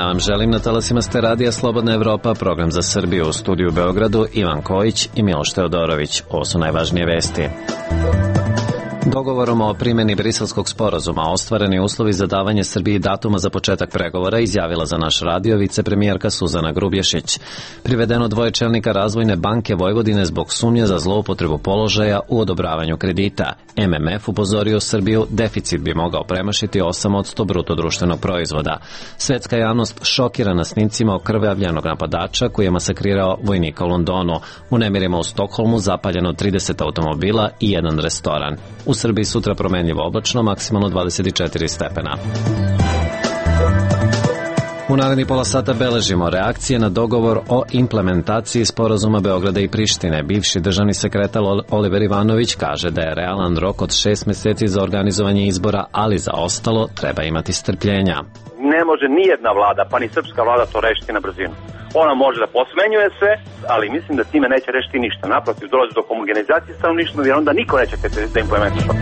dan vam želim. Na talasima ste Radija Slobodna Evropa, program za Srbiju. U studiju u Beogradu Ivan Kojić i Miloš Teodorović. Ovo su najvažnije vesti. Dogovorom o primjeni Briselskog sporazuma ostvareni uslovi za davanje Srbiji datuma za početak pregovora, izjavila za naš radio vicepremijerka Suzana Grubješić. Privedeno dvoje čelnika Razvojne banke Vojvodine zbog sumnje za zloupotrebu položaja u odobravanju kredita. MMF upozorio Srbiju, deficit bi mogao premašiti 8% bruto društvenog proizvoda. Svetska javnost šokirana snimcima okrvavljenog napadača koji je masakrirao vojnika u Londonu. U nemirima u Stokholmu zapaljeno 30 automobila i jedan restoran. U Srbiji sutra promenljivo oblačno, maksimalno 24 stepena. U narednih pola sata beležimo reakcije na dogovor o implementaciji sporazuma Beograda i Prištine. Bivši državni sekretar Oliver Ivanović kaže da je realan rok od 6 meseci za organizovanje izbora, ali za ostalo treba imati strpljenja. Ne može nijedna vlada, pa ni srpska vlada to rešiti na brzinu. Ona može da posmenjuje sve, ali mislim da time neće rešiti ništa. Naprotiv, dolazi do homogenizacije stanovništva, jer onda niko neće da implementira.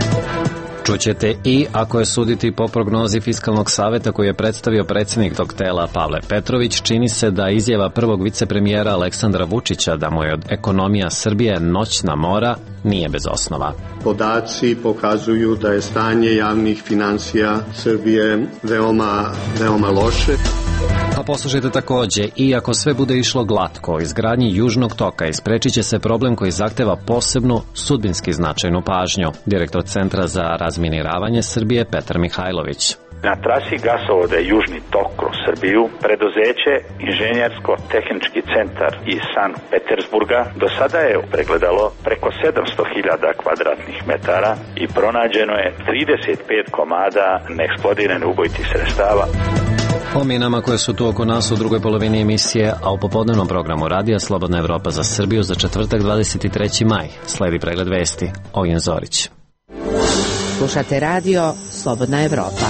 Čućete i, ako je suditi po prognozi Fiskalnog saveta koji je predstavio predsjednik tog tela Pavle Petrović, čini se da izjava prvog vicepremijera Aleksandra Vučića da mu je ekonomija Srbije noćna mora nije bez osnova. Podaci pokazuju da je stanje javnih finansija Srbije veoma loše. A poslušajte takođe, i ako sve bude išlo glatko, o izgradnji Južnog toka isprečit će se problem koji zahteva posebnu, sudbinski značajnu pažnju. Direktor Centra za razminiravanje Srbije Petar Mihajlović. Na trasi gasovoda Južni tok kroz Srbiju, preduzeće Inženjersko-tehnički centar iz Sankt Petersburga do sada je pregledalo preko 700.000 kvadratnih metara i pronađeno je 35 komada neeksplodiranih ubojitih sredstava. O minama koje su tu oko nas u drugoj polovini emisije, a u popodnevnom programu Radija Slobodna Evropa za Srbiju za četvrtak 23. maj. Sledi pregled vesti. Ognjen Zorić. Slušate radio Slobodna Evropa.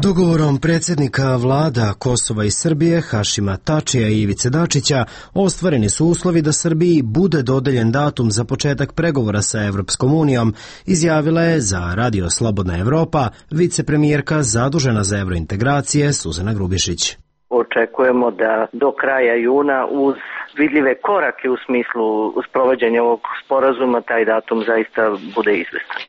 Dogovorom predsjednika vlada Kosova i Srbije, Hašima Tačija i Ivice Dačića, ostvareni su uslovi da Srbiji bude dodeljen datum za početak pregovora sa Evropskom unijom, izjavila je za Radio Slobodna Evropa vicepremijerka zadužena za evrointegracije Suzana Grubješić. Očekujemo da do kraja juna uz vidljive korake u smislu sprovođenja ovog sporazuma taj datum zaista bude izvestan.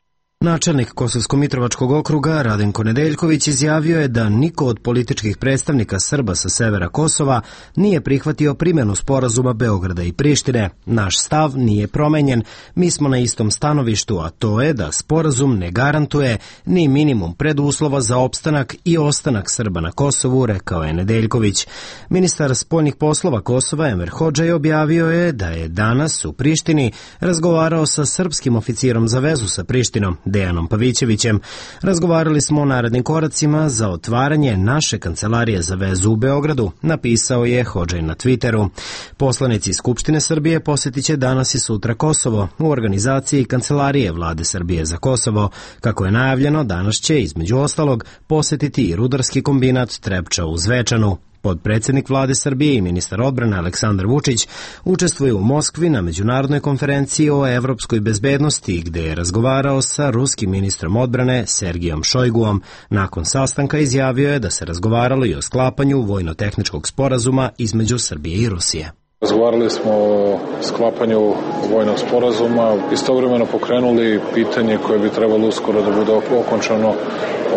Načelnik Kosovsko-Mitrovačkog okruga Radenko Nedeljković izjavio je da niko od političkih predstavnika Srba sa severa Kosova nije prihvatio primjenu sporazuma Beograda i Prištine. Naš stav nije promenjen, mi smo na istom stanovištu, a to je da sporazum ne garantuje ni minimum preduslova za opstanak i ostanak Srba na Kosovu, rekao je Nedeljković. Ministar spoljnih poslova Kosova Enver Hodžaj objavio je da je danas u Prištini razgovarao sa srpskim oficirom za vezu sa Prištinom, Dejanom Pavićevićem. Razgovarali smo o narednim koracima za otvaranje naše kancelarije za vezu u Beogradu, napisao je Hodžaj na Twitteru. Poslanici Skupštine Srbije posjetit će danas i sutra Kosovo u organizaciji Kancelarije Vlade Srbije za Kosovo. Kako je najavljeno, danas će, između ostalog, posjetiti i rudarski kombinat Trepča u Zvečanu. Potpredsjednik vlade Srbije i ministar odbrane Aleksandar Vučić učestvuje u Moskvi na međunarodnoj konferenciji o evropskoj bezbednosti, gde je razgovarao sa ruskim ministrom odbrane Sergijom Šojguom. Nakon sastanka izjavio je da se razgovaralo i o sklapanju vojno-tehničkog sporazuma između Srbije i Rusije. Razgovarali smo o sklapanju vojnog sporazuma, istovremeno pokrenuli pitanje koje bi trebalo uskoro da bude okončano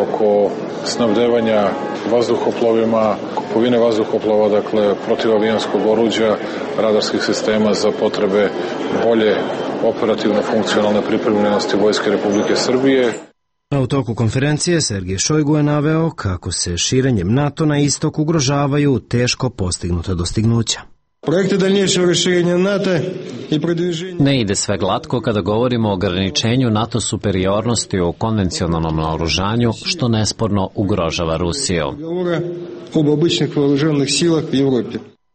oko snabdevanja vazduhoplovima, kupovine vazduhoplova, dakle protivavijanskog oruđa, radarskih sistema za potrebe bolje operativno funkcionalne pripremljenosti Vojske Republike Srbije. A u toku konferencije Sergij Šojgu je naveo kako se širenjem NATO na istok ugrožavaju teško postignuta dostignuća. Ne ide sve glatko kada govorimo o ograničenju NATO superiornosti u konvencionalnom naoružanju, što nesporno ugrožava Rusiju.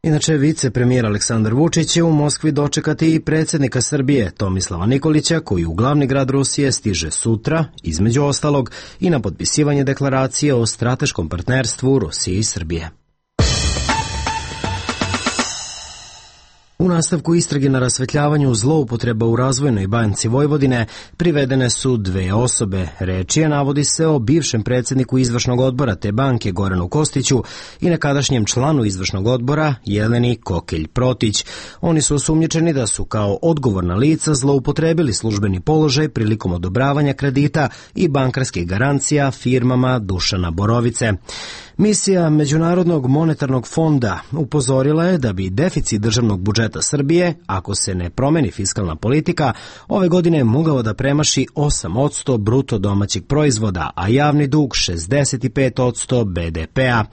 Inače, vicepremijer Aleksandar Vučić će u Moskvi dočekati i predsjednika Srbije Tomislava Nikolića, koji u glavni grad Rusije stiže sutra, između ostalog, i na potpisivanje deklaracije o strateškom partnerstvu Rusije i Srbije. U nastavku istrage na rasvetljavanju zloupotreba u Razvojnoj banci Vojvodine privedene su 2 osobe. Reč je, navodi se, o bivšem predsjedniku izvršnog odbora te banke Goranu Kostiću i nekadašnjem članu izvršnog odbora Jeleni Kokelj-Protić. Oni su osumnjičeni da su kao odgovorna lica zloupotrebili službeni položaj prilikom odobravanja kredita i bankarskih garancija firmama Dušana Borovice. Misija Međunarodnog monetarnog fonda upozorila je da bi deficit državnog budžeta Srbije, ako se ne promeni fiskalna politika, ove godine mogao da premaši 8% bruto domaćeg proizvoda, a javni dug 65% BDP-a.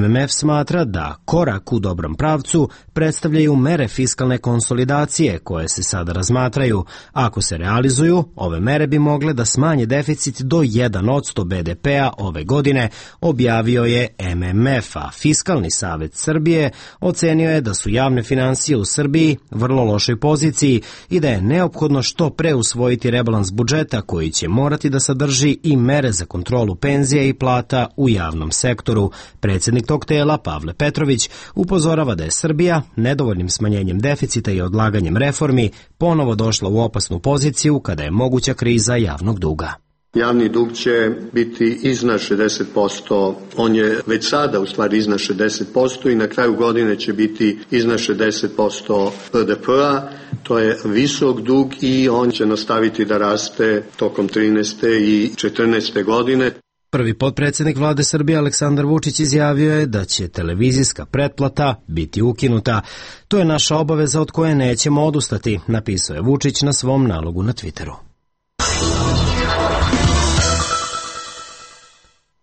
MMF smatra da korak u dobrom pravcu predstavljaju mere fiskalne konsolidacije koje se sada razmatraju. Ako se realizuju, ove mere bi mogle da smanje deficit do 1% BDP-a ove godine, objavio je MMF, a Fiskalni savet Srbije ocenio je da su javne finansije u Srbiji vrlo lošoj poziciji i da je neophodno što pre usvojiti rebalans budžeta koji će morati da sadrži i mere za kontrolu penzija i plata u javnom sektoru. Predsjednik tog tela, Pavle Petrović, upozorava da je Srbija nedovoljnim smanjenjem deficita i odlaganjem reformi ponovo došla u opasnu poziciju kada je moguća kriza javnog duga. Javni dug će biti iznad 60%, on je već sada u stvari iznad 60% i na kraju godine će biti iznad 60% BDP-a. To je visok dug i on će nastaviti da raste tokom 13. i 14. godine. Prvi potpredsjednik vlade Srbije Aleksandar Vučić izjavio je da će televizijska pretplata biti ukinuta. To je naša obaveza od koje nećemo odustati, napisao je Vučić na svom nalogu na Twitteru.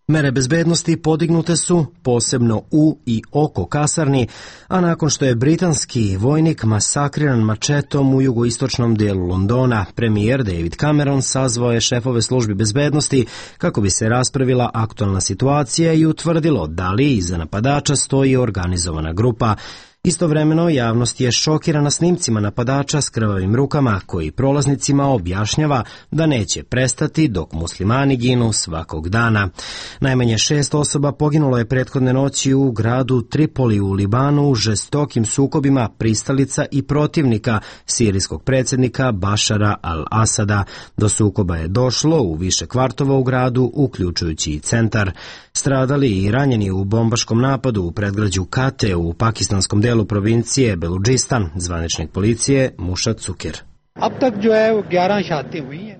Mere bezbednosti podignute su posebno u i oko kasarni, a nakon što je britanski vojnik masakriran mačetom u jugoistočnom delu Londona, premijer David Cameron sazvao je šefove službi bezbednosti kako bi se raspravila aktualna situacija i utvrdilo da li iza napadača stoji organizovana grupa. Istovremeno, javnost je šokirana snimcima napadača s krvavim rukama koji prolaznicima objašnjava da neće prestati dok muslimani ginu svakog dana. Najmanje 6 osoba poginulo je prethodne noći u gradu Tripoli u Libanu u žestokim sukobima pristalica i protivnika sirijskog predsjednika Bašara al-Asada. Do sukoba je došlo u više kvartova u gradu, uključujući i centar. Stradali i ranjeni u bombaškom napadu u predgrađu Kate u pakistanskom delu provincije Beludžistan, zvaničnik policije Mušat Cuker.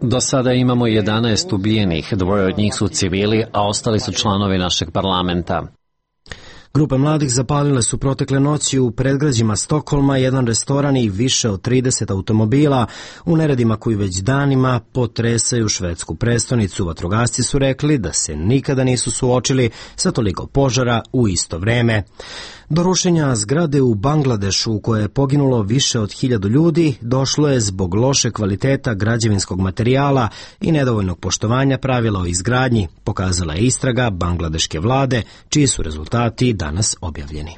Do sada imamo 11 ubijenih, 2 od njih su civili, a ostali su članovi našeg parlamenta. Grupe mladih zapalile su protekle noći u predgrađima Stokholma jedan restoran i više od 30 automobila u neredima koji već danima potresaju švedsku prestonicu. Vatrogasci su rekli da se nikada nisu suočili sa toliko požara u isto vreme. Do rušenja zgrade u Bangladešu u kojoj je poginulo više od 1000 ljudi došlo je zbog loše kvaliteta građevinskog materijala i nedovoljnog poštovanja pravila o izgradnji, pokazala je istraga bangladeške vlade, čiji su rezultati danas objavljeni.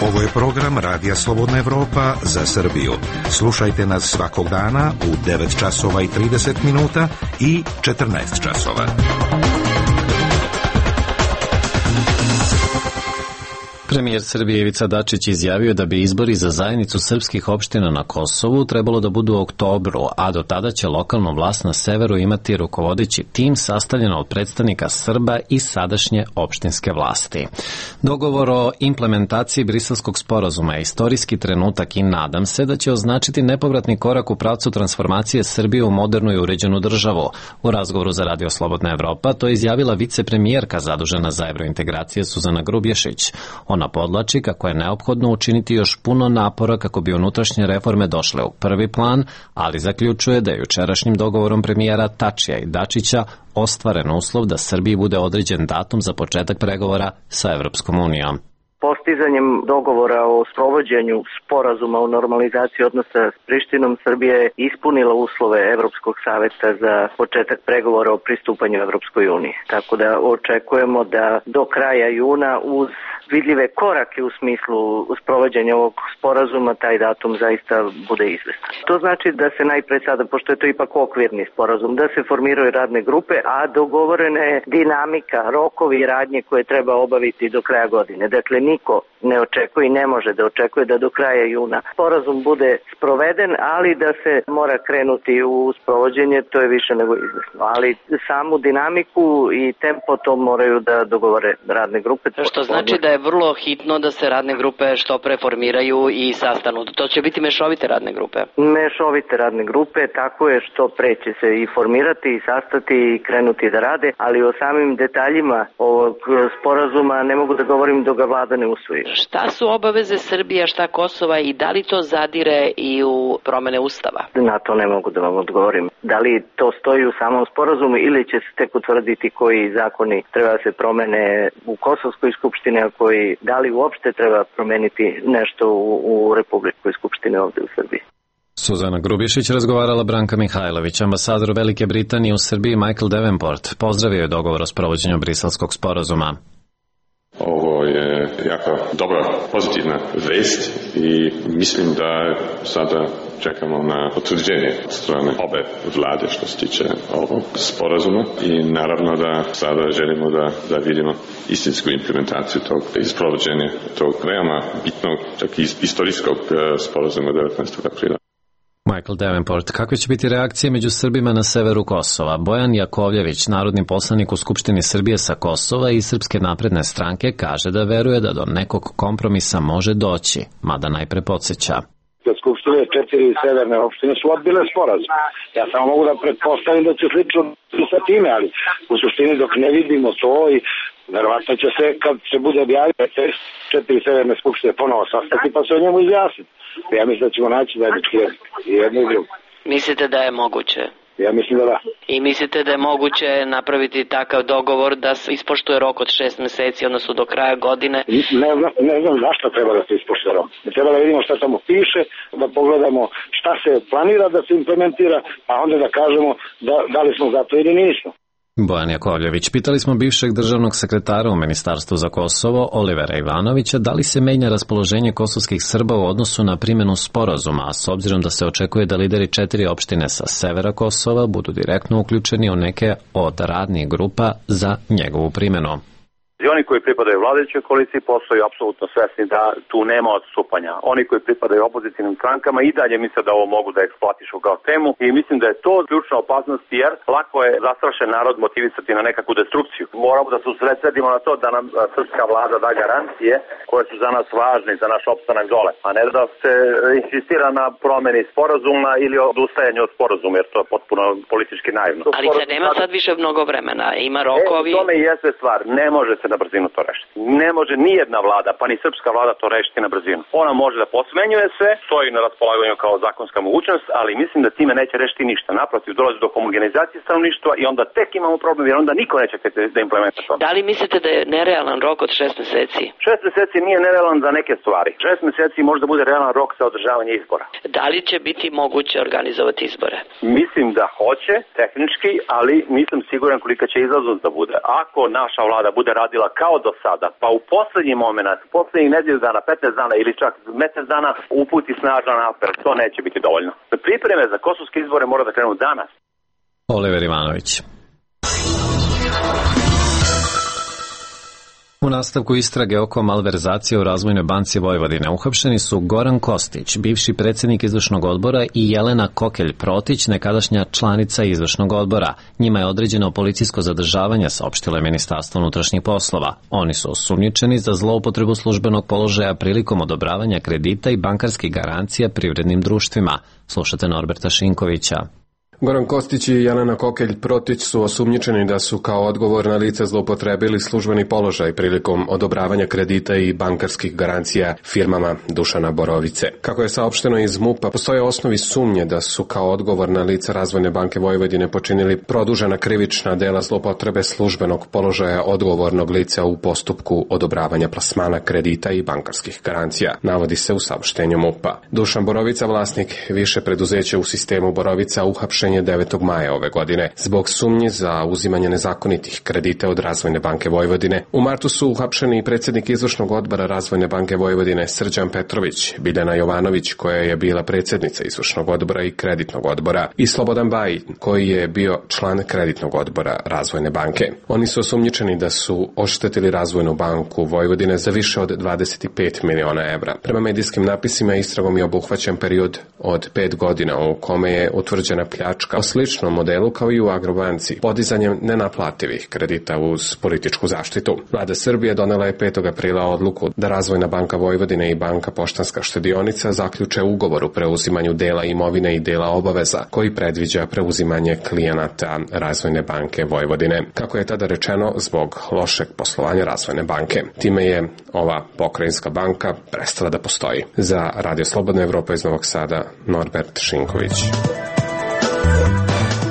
Ovo je program Radija Slobodna Evropa za Srbiju. Slušajte nas svakog dana u 9 časova i 30 minuta i 14 časova. Premijer Srbije Ivica Dačić izjavio da bi izbori za zajednicu srpskih opština na Kosovu trebalo da budu u oktobru, a do tada će lokalnu vlast na severu imati rukovodeći tim sastavljen od predstavnika Srba i sadašnje opštinske vlasti. Dogovor o implementaciji Briselskog sporazuma je istorijski trenutak i nadam se da će označiti nepovratni korak u pravcu transformacije Srbije u modernu i uređenu državu. U razgovoru za Radio Slobodna Evropa to je izjavila vicepremijerka zadužena za evrointegracije Suzana Grubješić. Ona podlači kako je neophodno učiniti još puno napora kako bi unutrašnje reforme došle u prvi plan, ali zaključuje da je jučerašnjim dogovorom premijera Tačija i Dačića ostvaren uslov da Srbiji bude određen datum za početak pregovora sa Evropskom unijom. Postizanjem dogovora o sprovođenju sporazuma o normalizaciji odnosa s Prištinom, Srbija je ispunila uslove Evropskog saveta za početak pregovora o pristupanju Evropskoj uniji. Tako da očekujemo da do kraja juna uz vidljive korake u smislu sprovođenja ovog sporazuma taj datum zaista bude izvestan. To znači da se najpre sada, pošto je to ipak okvirni sporazum, da se formiraju radne grupe, a dogovorena je dinamika, rokovi i radnje koje treba obaviti do kraja godine. Dakle, niko ne očekuje i ne može da očekuje da do kraja juna sporazum bude sproveden, ali da se mora krenuti u sprovođenje, to je više nego izvesno. Ali samu dinamiku i tempo to moraju da dogovore radne grupe. Što znači da je vrlo hitno da se radne grupe što pre formiraju i sastanu. To će biti mešovite radne grupe? Mešovite radne grupe, tako je, što pre će se i formirati i sastati i krenuti da rade, ali o samim detaljima ovog sporazuma ne mogu da govorim dok ga vlada ne usvoji. Šta su obaveze Srbije, šta Kosova i da li to zadire i u promene Ustava? Na to ne mogu da vam odgovorim. Da li to stoji u samom sporazumu ili će se tek utvrditi koji zakoni treba da se promene u Kosovskoj skupštini, a koji da li uopšte treba promeniti nešto u Republičkoj skupštini ovde u Srbiji. Suzana Grubješić razgovarala Branka Mihajlović, ambasador Velike Britanije u Srbiji Michael Davenport. Pozdravio je dogovor o sprovođenju Briselskog sporazuma. Ovo je jako dobra, pozitivna vest i mislim da sada čekamo na potvrđenje od strane obe vlade što se tiče ovog sporazuma i naravno da sada želimo da vidimo istinsku implementaciju tog i sprovođenje tog veoma bitnog, čak i istorijskog sporazuma 19. aprila. Michael Davenport, kakve će biti reakcije među Srbima na severu Kosova? Bojan Jakovljević, narodni poslanik u Skupštini Srbije sa Kosova i Srpske napredne stranke, kaže da veruje da do nekog kompromisa može doći, mada najpre podsjeća. Skupštine 4 severne opštine su odbile sporazum. Ja samo mogu da pretpostavim da će slično sa time, ali u suštini dok ne vidimo to i verovatno će se, kad se bude objavio, 4 severne skupštine ponovo sastati pa se o njemu izjasniti. Ja mislim da ćemo naći zajednički jezik i jedno i drugo. Mislite da je moguće? Ja mislim da da. I mislite da je moguće napraviti takav dogovor da se ispoštuje rok od 6 meseci, odnosno do kraja godine? Ne znam zašto treba da se ispoštuje rok. Treba da vidimo šta tamo piše, da pogledamo šta se planira da se implementira, a onda da kažemo da li smo za to ili nismo. Bojan Jakovljević, pitali smo bivšeg državnog sekretara u Ministarstvu za Kosovo, Olivera Ivanovića, da li se menja raspoloženje kosovskih Srba u odnosu na primjenu sporazuma, a s obzirom da se očekuje da lideri 4 opštine sa severa Kosova budu direktno uključeni u neke od radnih grupa za njegovu primjenu. I oni koji pripadaju vladajućoj koaliciji postaju apsolutno svesni da tu nema odstupanja. Oni koji pripadaju opozicijnim strankama i dalje misle da ovo mogu da eksploatišu kao temu i mislim da je to ključna opasnost jer lako je zastrašen narod motivisati na nekakvu destrukciju. Moramo da se usredsredimo na to da nam srpska vlada da garancije koje su za nas važne za naš opstanak dole, a ne da se insistira na promeni sporazuma ili odustajanju od sporazuma jer to je potpuno politički naivno. Ali se nema sad više mnogo vremena, ima rokovi. Tome i jeste stvar, ne može se na brzinu to rešiti. Ne može nijedna vlada, pa ni srpska vlada to rešiti na brzinu. Ona može da posmenjuje se, stoji na raspolaganju kao zakonska mogućnost, ali mislim da time neće rešiti ništa. Naprotiv, dolazi do homogenizacije stanovništva i onda tek imamo problem jer onda niko neće da implementira to. Da li mislite da je nerealan rok od 6 meseci? 6 meseci nije nerealan za neke stvari. 6 meseci može da bude realan rok za održavanje izbora. Da li će biti moguće organizovati izbore? Mislim da hoće, tehnički, ali nisam siguran kolika će izlaznost da bude. Ako naša vlada bude radila kao do sada, pa u poslednji moment, u poslednjih nedelju dana, 15 dana ili čak mesec dana uputi snažan apel, to neće biti dovoljno. Pripreme za kosovske izbore mora da krenu danas. Oliver Ivanović. U nastavku istrage oko malverzacije u Razvojnoj banci Vojvodine uhapšeni su Goran Kostić, bivši predsjednik izvršnog odbora i Jelena Kokelj-Protić, nekadašnja članica izvršnog odbora. Njima je određeno policijsko zadržavanje, saopštilo je Ministarstvo unutrašnjih poslova. Oni su osumnjičeni za zloupotrebu službenog položaja prilikom odobravanja kredita i bankarskih garancija privrednim društvima. Slušate Norberta Šinkovića. Goran Kostić i Jelena Kokelj-Protić su osumnjičeni da su kao odgovorna lica zloupotrebili službeni položaj prilikom odobravanja kredita i bankarskih garancija firmama Dušana Borovice. Kako je saopšteno iz MUP-a, postoje osnovi sumnje da su kao odgovorna lica Razvojne banke Vojvodine počinili produžena krivična dela zloupotrebe službenog položaja odgovornog lica u postupku odobravanja plasmana kredita i bankarskih garancija, navodi se u saopštenju MUP-a. Dušan Borovica, vlasnik više preduzeća u sistemu Borovica, uhapšen rešenje 9. maja ove godine zbog sumnji za uzimanje nezakonitih kredita od Razvojne banke Vojvodine. U martu su uhapšeni predsjednik izvršnog odbora Razvojne banke Vojvodine Srđan Petrović, Biljana Jovanović koja je bila predsjednica izvršnog odbora i kreditnog odbora i Slobodan Bajin koji je bio član kreditnog odbora Razvojne banke. Oni su osumnjičeni da su oštetili Razvojnu banku Vojvodine za više od 25 miliona evra. Prema medijskim napisima istragom je obuhvaćen period od 5 godina u kome je utvrđena pljačka o sličnom modelu kao i u Agrobanci, podizanjem nenaplativih kredita uz političku zaštitu. Vlada Srbije donela je 5. aprila odluku da Razvojna banka Vojvodine i Banka Poštanska štedionica zaključe ugovor o preuzimanju dela imovine i dela obaveza koji predviđa preuzimanje klijenata Razvojne banke Vojvodine. Kako je tada rečeno, zbog lošeg poslovanja Razvojne banke. Time je ova pokrajinska banka prestala da postoji. Za Radio Slobodna Evropa iz Novog Sada, Norbert Šinković.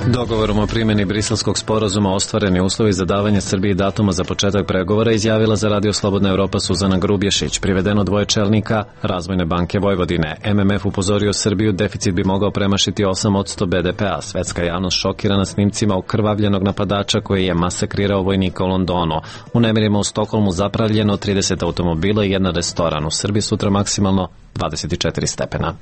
Dogovorom o primjeni Briselskog sporazuma ostvareni uslovi za davanje Srbiji datuma za početak pregovora izjavila za Radio Slobodna Evropa Suzana Grubješić, privedeno dvoje čelnika Razvojne banke Vojvodine. MMF upozorio Srbiju, deficit bi mogao premašiti 8% BDP-a. Svetska javnost šokirana snimcima okrvavljenog napadača koji je masakrirao vojnika u Londonu. U nemirima u Stokholmu zapravljeno 30 automobila i jedan restoran. U Srbiji sutra maksimalno 24 stepena.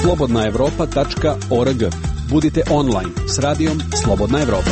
slobodnaevropa.org. Budite online s radijom Slobodna Evropa.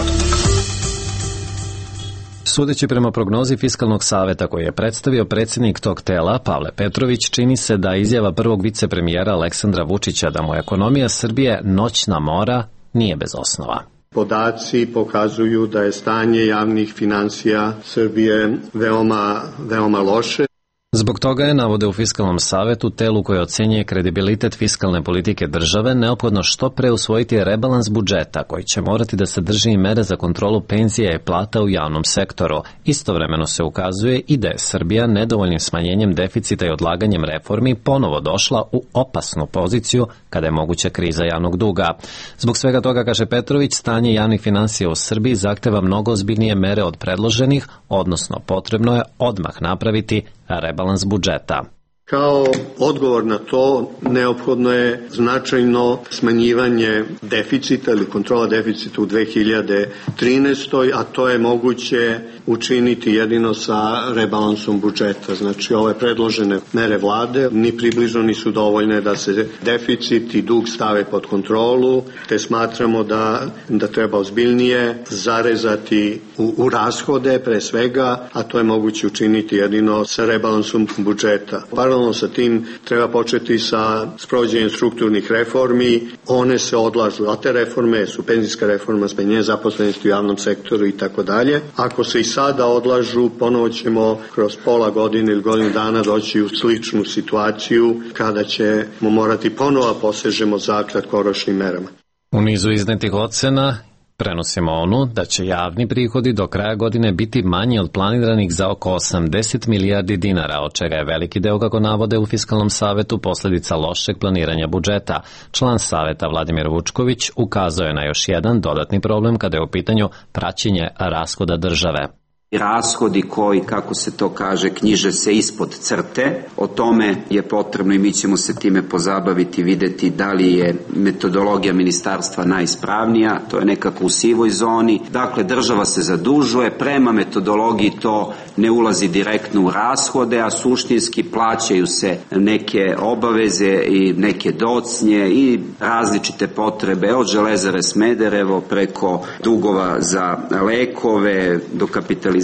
Sudeći prema prognozi Fiskalnog saveta koji je predstavio predsjednik tog tela, Pavle Petrović, čini se da izjava prvog vicepremijera Aleksandra Vučića da mu ekonomija Srbije noćna mora nije bez osnova. Podaci pokazuju da je stanje javnih finansija Srbije veoma loše. Zbog toga je, navode u Fiskalnom savetu, telu koje ocenjuje kredibilitet fiskalne politike države, neophodno što pre usvojiti rebalans budžeta koji će morati da sadrži i mere za kontrolu penzija i plata u javnom sektoru. Istovremeno se ukazuje i da je Srbija nedovoljnim smanjenjem deficita i odlaganjem reformi ponovo došla u opasnu poziciju kada je moguća kriza javnog duga. Zbog svega toga, kaže Petrović, stanje javnih finansija u Srbiji zahteva mnogo ozbiljnije mere od predloženih, odnosno potrebno je odmah napraviti rebalans budžeta. Kao odgovor na to neophodno je značajno smanjivanje deficita ili kontrola deficita u 2013. a to je moguće učiniti jedino sa rebalansom budžeta. Znači, ove predložene mere vlade ni približno nisu dovoljne da se deficit i dug stave pod kontrolu, te smatramo da treba ozbiljnije zarezati u rashode pre svega, a to je moguće učiniti jedino sa rebalansom budžeta. Paralelno sa tim treba početi sa sprovođenjem strukturnih reformi, one se odlažu, a te reforme su penzijska reforma, smanjenje zaposlenosti u javnom sektoru i tako dalje. Ako se i sada odlažu, ponovo ćemo kroz pola godine ili godinu dana doći u sličnu situaciju kada ćemo morati ponovo posežemo za kratkoročnim merama. U nizu iznetih ocena prenosimo onu da će javni prihodi do kraja godine biti manji od planiranih za oko 80 milijardi dinara, od čega je veliki deo, kako navode u Fiskalnom savetu, posljedica lošeg planiranja budžeta. Član saveta Vladimir Vučković ukazao je na još jedan dodatni problem kada je u pitanju praćenje rashoda države. Rashodi koji, kako se to kaže, knjiže se ispod crte. O tome je potrebno i mi ćemo se time pozabaviti, videti da li je metodologija ministarstva najispravnija, to je nekako u sivoj zoni. Dakle, država se zadužuje, prema metodologiji to ne ulazi direktno u rashode, a suštinski plaćaju se neke obaveze i neke docnje i različite potrebe od Železare Smederevo preko dugova za lekove do kapitalizacije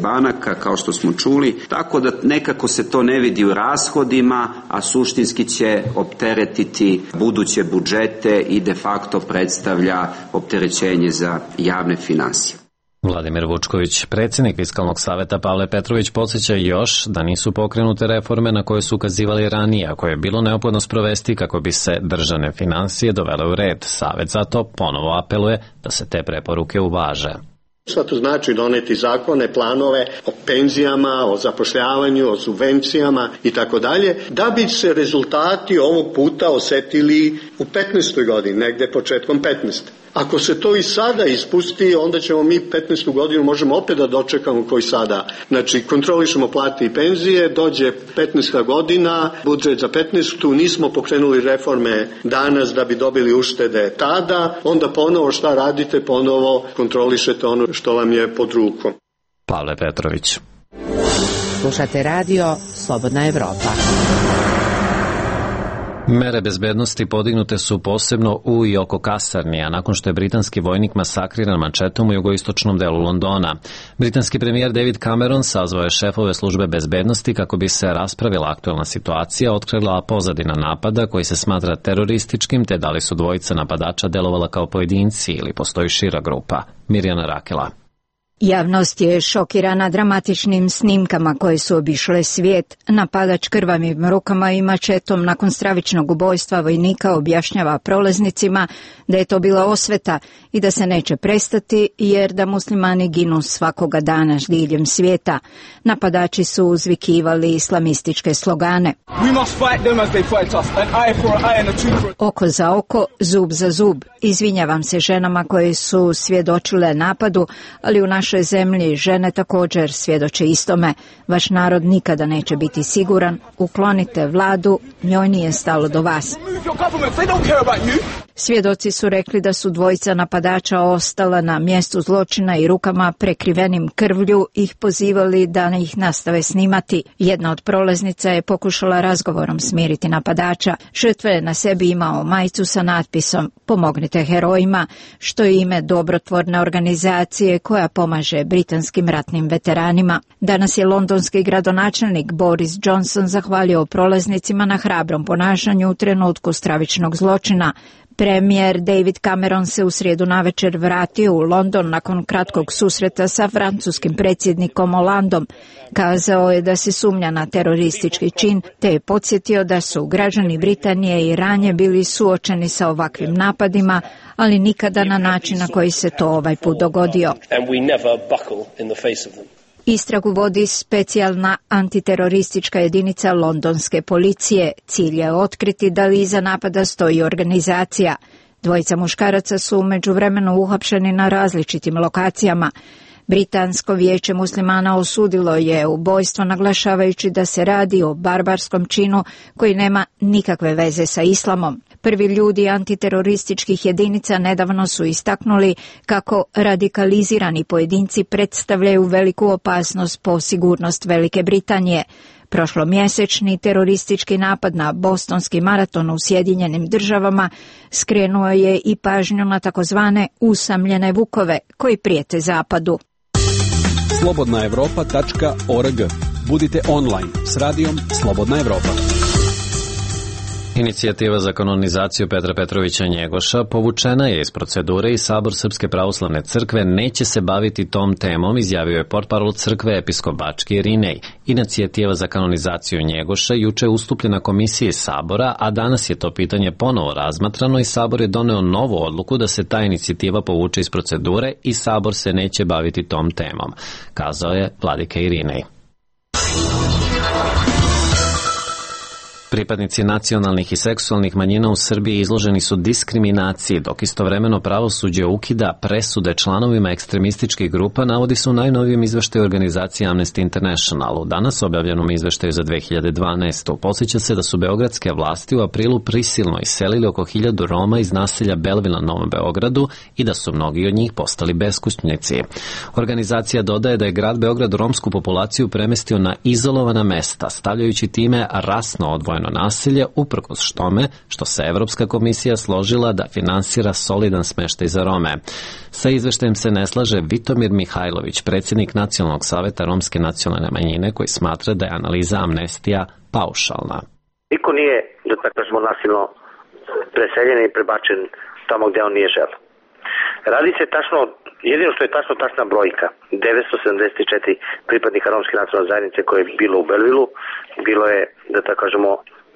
banaka, kao što smo čuli, tako da nekako se to ne vidi u rashodima, a suštinski će opteretiti buduće budžete i de facto predstavlja opterećenje za javne finansije. Vladimir Vučković, predsjednik Fiskalnog saveta Pavle Petrović, podsjeća još da nisu pokrenute reforme na koje su ukazivali ranije, a koje je bilo neophodno sprovesti kako bi se državne finansije dovele u red. Savet zato ponovo apeluje da se te preporuke uvaže. Šta to znači doneti zakone, planove o penzijama, o zapošljavanju, o subvencijama i tako dalje, da bi se rezultati ovog puta osetili u 15. godini, negde početkom 15. Ako se to i sada ispusti, onda ćemo mi 15. godinu možemo opet da dočekamo koji sada. Znači, kontrolišemo plate i penzije, dođe 15. godina, budžet za 15. Nismo pokrenuli reforme danas da bi dobili uštede tada, onda ponovo šta radite, ponovo kontrolišete ono što vam je pod rukom. Pavle Petrović. Slušate radio Slobodna Evropa. Mere bezbednosti podignute su posebno u i oko kasarni, a nakon što je britanski vojnik masakriran mačetom u jugoistočnom delu Londona. Britanski premijer David Cameron sazvao je šefove službe bezbednosti kako bi se raspravila aktuelna situacija, otkrila pozadina napada koji se smatra terorističkim, te da li su dvojica napadača delovala kao pojedinci ili postoji šira grupa. Mirjana Rakela. Javnost je šokirana dramatičnim snimkama koje su obišle svijet. Napadač krvavim rukama i mačetom nakon stravičnog ubojstva vojnika objašnjava prolaznicima da je to bila osveta i da se neće prestati jer da muslimani ginu svakoga dana diljem svijeta. Napadači su uzvikivali islamističke slogane. Oko za oko, zub za zub. Izvinjavam se ženama koje su svjedočile napadu, ali u našoj zemlji žene također svjedoče istome. Vaš narod nikada neće biti siguran. Uklonite vladu, njoj nije stalo do vas. Svjedoci su rekli da su dvojica napadača ostala na mjestu zločina i rukama prekrivenim krvlju ih pozivali da ih nastave snimati. Jedna od prolaznica je pokušala razgovorom smiriti napadača. Žrtva je na sebi imao majicu sa natpisom "Pomognite herojima", što je ime dobrotvorne organizacije koja pomaže britanskim ratnim veteranima. Danas je londonski gradonačelnik Boris Johnson zahvalio prolaznicima na hrabrom ponašanju u trenutku stravičnog zločina. Premijer David Cameron se u srijedu navečer vratio u London nakon kratkog susreta sa francuskim predsjednikom Hollandom. Kazao je da se sumnja na teroristički čin, te je podsjetio da su građani Britanije i ranije bili suočeni sa ovakvim napadima, ali nikada na način na koji se to ovaj put dogodio. Istragu vodi specijalna antiteroristička jedinica londonske policije. Cilj je otkriti da li iza napada stoji organizacija. Dvojica muškaraca su u međuvremenu uhapšeni na različitim lokacijama. Britansko vijeće muslimana osudilo je ubojstvo naglašavajući da se radi o barbarskom činu koji nema nikakve veze sa islamom. Prvi ljudi antiterorističkih jedinica nedavno su istaknuli kako radikalizirani pojedinci predstavljaju veliku opasnost po sigurnost Velike Britanije. Prošlomjesečni teroristički napad na bostonski maraton u Sjedinjenim Državama skrenuo je i pažnju na takozvane usamljene vukove koji prijete zapadu. slobodnaevropa.org. Budite online s radijom Slobodna Evropa. Inicijativa za kanonizaciju Petra Petrovića Njegoša povučena je iz procedure i Sabor Srpske pravoslavne crkve neće se baviti tom temom, izjavio je portparol crkve episkop Bački Irinej. Inicijativa za kanonizaciju Njegoša juče je ustupljena komisiji Sabora, a danas je to pitanje ponovo razmatrano i Sabor je doneo novu odluku da se ta inicijativa povuče iz procedure i Sabor se neće baviti tom temom, kazao je vladika Irinej. Pripadnici nacionalnih i seksualnih manjina u Srbiji izloženi su diskriminaciji, dok istovremeno pravosuđe ukida presude članovima ekstremističkih grupa, navodi se u najnovijem izveštaju organizacije Amnesty International. U danas objavljenom izveštaju za 2012. Podsjeća se da su beogradske vlasti u aprilu prisilno iselili oko 1000 Roma iz naselja Belville na Novom Beogradu i da su mnogi od njih postali beskućnici. Organizacija dodaje da je grad Beograd romsku populaciju premestio na izolovana mesta, stavljajući time rasno odvojeno nasilje, uprkos tome što se Evropska komisija složila da finansira solidan smeštaj za Rome. Sa izveštajem se ne slaže Vitomir Mihajlović, predsjednik Nacionalnog saveta romske nacionalne manjine, koji smatra da je analiza Amnestija paušalna. Niko nije, da tako kažemo, nasilno preseljen i prebačen tamo gdje on nije želeo. Radi se tačno, jedino što je tačna brojka, 974 pripadnika romske nacionalne zajednice koje je bilo u Belvilu, bilo je, da tako kažemo,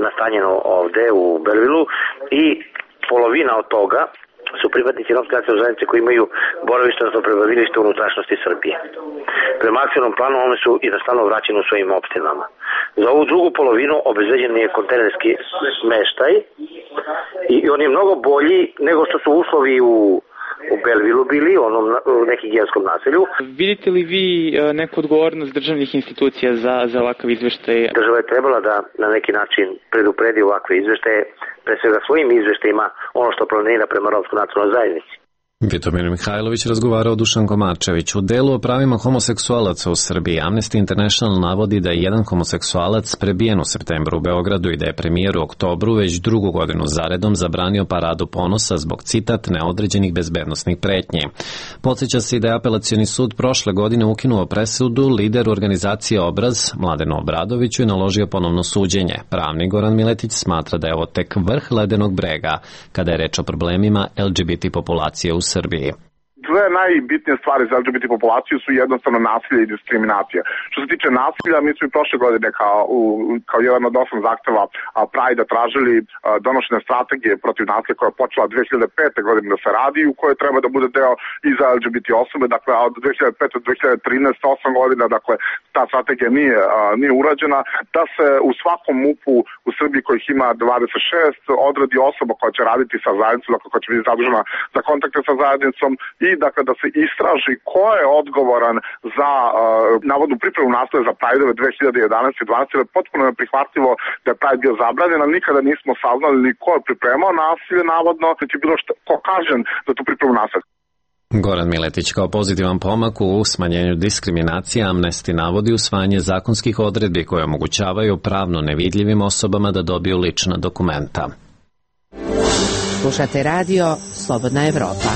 nastanjeno ovde u Belvilu i polovina od toga su pripadnici romske nacionalne zajednice koji imaju boravište, odnosno prebivalište u unutrašnjosti Srbije. Prema akcionom planu one su jednostavno vraćene u svojim opštinama. Za ovu drugu polovinu obezbeđen je kontejnerski smeštaj i on je mnogo bolji nego što su uslovi u Belvilu bili, onom nekigijenskom naselju. Vidite li vi neku odgovornost državnih institucija za ovakav izveštaj? Država je trebala da na neki način predupredi ovakve izveštaje, pre svega svojim izveštajima, ono što planira prema romskoj nacionalnoj zajednici. Vitomir Mihajlović razgovarao Dušan Komarčević. U delu o pravima homoseksualaca u Srbiji Amnesty International navodi da je jedan homoseksualac prebijen u septembru u Beogradu i da je premijer u oktobru već drugu godinu zaredom zabranio paradu ponosa zbog, citat, neodređenih bezbednosnih pretnji. Podsjeća se i da je apelacioni sud prošle godine ukinuo presudu lideru organizacije Obraz, Mladenu Obradoviću, i naložio ponovno suđenje. Pravnik Goran Miletić smatra da je ovo tek vrh ledenog brega kada je reč o problemima LGBT populacije u Srbiji. Dve najbitnije stvari za LGBT populaciju su jednostavno nasilje i diskriminacija. Što se tiče nasilja, mi smo i prošle godine kao jedan od 8 zahteva Pride tražili donošenje strategije protiv nasilja koja je počela 2005. godine da se radi, u kojoj treba da bude deo i za LGBT osobe. Dakle, od 2005. do 2013, 8 godina, dakle, ta strategija nije urađena, da se u svakom MUP-u u Srbiji kojih ima 26 odredi osoba koja će raditi sa zajednicom, dakle, koja će biti zadužena za kontakte sa zajednicom i dakle da se istraži ko je odgovoran za navodnu pripremu nasilja za Pride-ove 2011. i 2012. Je potpuno neprihvatljivo da je Pride bio zabranjen, ali nikada nismo saznali ni ko je pripremao nasilje navodno, niti bilo ko kažen za tu pripremu nasilja. Goran Miletić kao pozitivan pomak u smanjenju diskriminacije Amnesty navodi usvajanje zakonskih odredbi koje omogućavaju pravno nevidljivim osobama da dobiju lična dokumenta. Slušate radio Slobodna Evropa.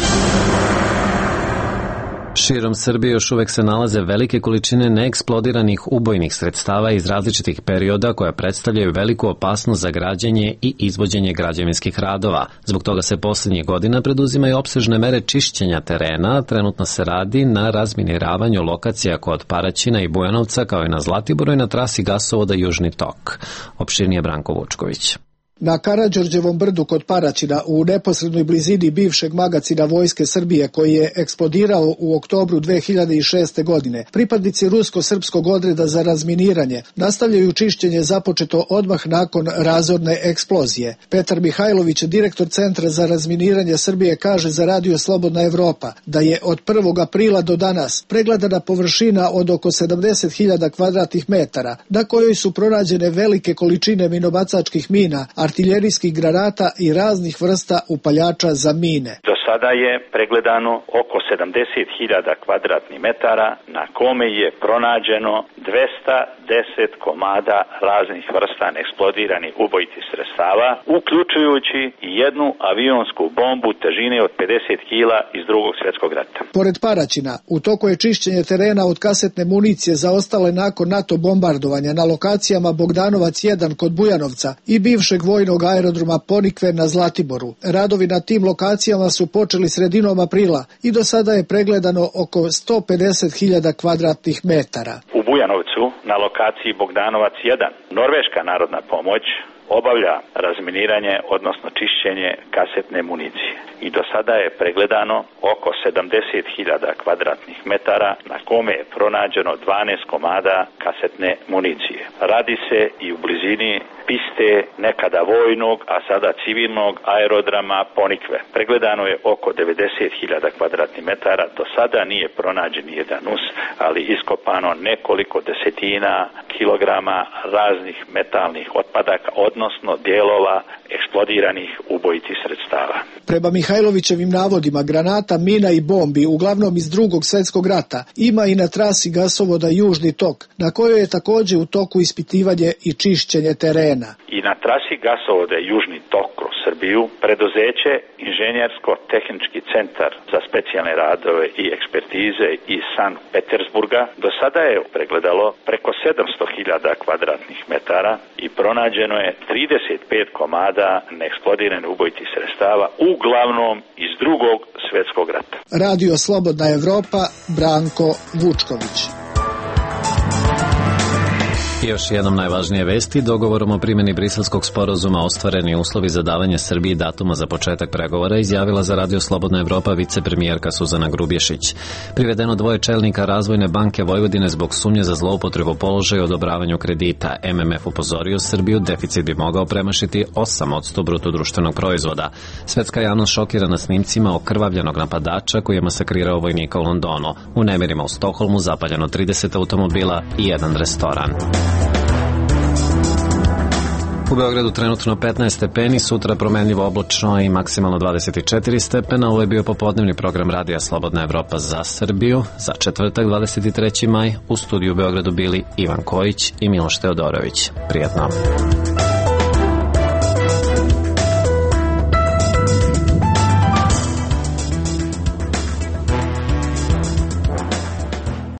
Širom Srbije još uvek se nalaze velike količine neeksplodiranih ubojnih sredstava iz različitih perioda koja predstavljaju veliku opasnost za građenje i izvođenje građevinskih radova. Zbog toga se poslednjih godina preduzimaju opsežne mere čišćenja terena. Trenutno se radi na razminiravanju lokacija kod Paraćina i Bujanovca, kao i na Zlatiboru i na trasi gasovoda Južni tok. Opširnije Branko Vučković. Na Karađorđevom brdu kod Paraćina, u neposrednoj blizini bivšeg magacina Vojske Srbije koji je eksplodirao u oktobru 2006. godine, pripadnici rusko-srpskog odreda za razminiranje nastavljaju čišćenje započeto odmah nakon razorne eksplozije. Petar Mihajlović, direktor Centra za razminiranje Srbije, kaže za Radio Slobodna Evropa da je od 1. aprila do danas pregledana površina od oko 70.000 kvadratnih metara, na kojoj su pronađene velike količine minobacačkih mina, artiljerijskih granata i raznih vrsta upaljača za mine. Do sada je pregledano oko 70.000 kvadratnih metara na kome je pronađeno 210 komada raznih vrsta neeksplodiranih ubojitih sredstava, uključujući i jednu avionsku bombu težine od 50 kila iz Drugog svjetskog rata. Pored Paraćina, u toku je čišćenje terena od kasetne municije zaostale nakon NATO bombardovanja na lokacijama Bogdanovac 1 kod Bujanovca i bivšeg vojnog aerodroma Ponikve na Zlatiboru. Radovi na tim lokacijama su počeli sredinom aprila i do sada je pregledano oko 150.000 kvadratnih metara. U Bujanovcu na lokaciji Bogdanovac 1 Norveška narodna pomoć obavlja razminiranje, odnosno čišćenje kasetne municije. I do sada je pregledano oko 70.000 kvadratnih metara na kome je pronađeno 12 komada kasetne municije. Radi se i u blizini piste nekada vojnog, a sada civilnog aerodroma Ponikve. Pregledano je oko 90.000 kvadratnih metara. Do sada nije pronađen jedan us, ali iskopano nekoliko desetina kilograma raznih metalnih otpadaka, odnosno dijelova eksplodiranih ubojitih sredstava. Prema Mihajlovićevim navodima, granata, mina i bombi, uglavnom iz Drugog svjetskog rata, ima i na trasi gasovoda Južni tok, na kojoj je također u toku ispitivanje i čišćenje terena. I na trasi gasovoda Južni tok kroz Srbiju, preduzeće Inženjersko-tehnički centar za specijalne radove i ekspertize iz Sankt Petersburga do sada je pregledalo preko 700.000 kvadratnih metara i pronađeno je 35 komada neeksplodiranih ubojitih sredstava, uglavnom iz Drugog svjetskog rata. Radio Slobodna Evropa, Branko Vučković. I još jednom najvažnije vesti. Dogovorom o primjeni briselskog sporazuma ostvareni uslovi za davanje Srbiji datuma za početak pregovora izjavila za Radio Slobodna Evropa vicepremijerka Suzana Grubješić. Privedeno dvoje čelnika Razvojne banke Vojvodine zbog sumnje za zloupotrebu položaja i odobravanju kredita. MMF upozorio Srbiju, deficit bi mogao premašiti 8% bruto društvenog proizvoda. Svetska javnost šokirana snimcima okrvavljenog napadača koji je masakrirao vojnika u Londonu. U nemirima u Stokholmu zapaljeno 30 automobila i jedan restoran. U Beogradu trenutno 15 stepeni, sutra promenljivo oblačno i maksimalno 24 stepena. Ovo je bio popodnevni program Radija Slobodna Evropa za Srbiju. Za četvrtak 23. maj u studiju u Beogradu bili Ivan Kojić i Miloš Teodorović. Prijatno.